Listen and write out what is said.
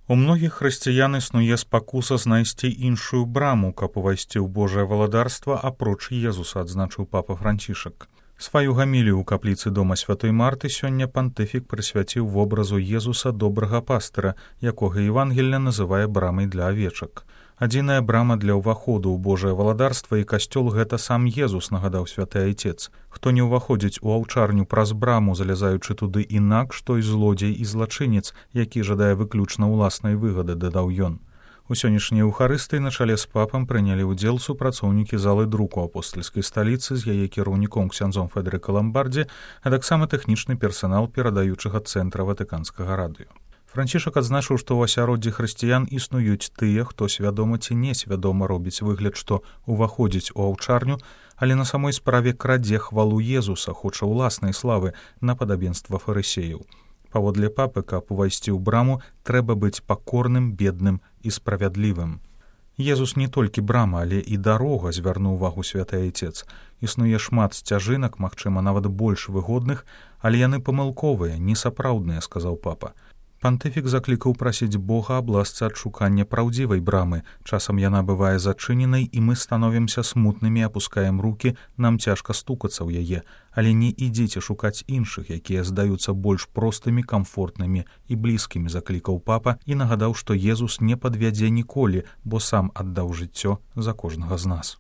У многіх хрысціян існуе спакуса знайсці іншую браму, каб увайсці ў Божае валадарства апроч Езуса, адзначыў папа Францішак. Сваю гамілію ў капліцы дома святой Марты сёння пантыфік прысвяціў вобразу Езуса добрага пастыра, якога Евангелле называе брамай для авечак. Адзіная брама для ўваходу ў Божае валадарства і касцёл гэта сам Езус, нагадаў святы айцец. Хто не ўваходзіць у аўчарню праз браму, залязаючы туды інакш, той злодзей і злачынец, які жадае выключна ўласнай выгады, дадаў ён. У сённяшняй эўхарыстыі на чале з папам прынялі ўдзел супрацоўнікі залы друку апостальскай сталіцы з яе кіраўніком ксяндзом Федэрыка Ламбардзі, а таксама тэхнічны персанал перадаючага цэнтра Ватыканскага радыё. Францішак адзначыў, што ў асяроддзі хрысціян існуюць тыя, хто свядома ці несвядома робіць выгляд, што ўваходзіць у аўчарню, але на самой справе крадзе хвалу Езуса, хоча ўласнай славы на падабенства фарысеяў. Паводле папы, каб увайсці ў браму, трэба быць пакорным, бедным і справядлівым. Езус не толькі брама, але і дарога, звярнуў увагу святы айцец. Існуе шмат сцяжынак, магчыма, нават больш выгодных, але яны памылковыя, несапраўдныя, сказаў папа. Пантыфік заклікаў прасіць Бога абласца ад шукання праўдзівай брамы. Часам яна бывае зачыненай, і мы становімся смутнымі, апускаем рукі, нам цяжка стукацца ў яе. Але не ідзіце шукаць іншых, якія здаюцца больш простымі, камфортнымі і блізкімі, заклікаў папа і нагадаў, што Езус не падвядзе ніколі, бо сам аддаў жыццё за кожнага з нас.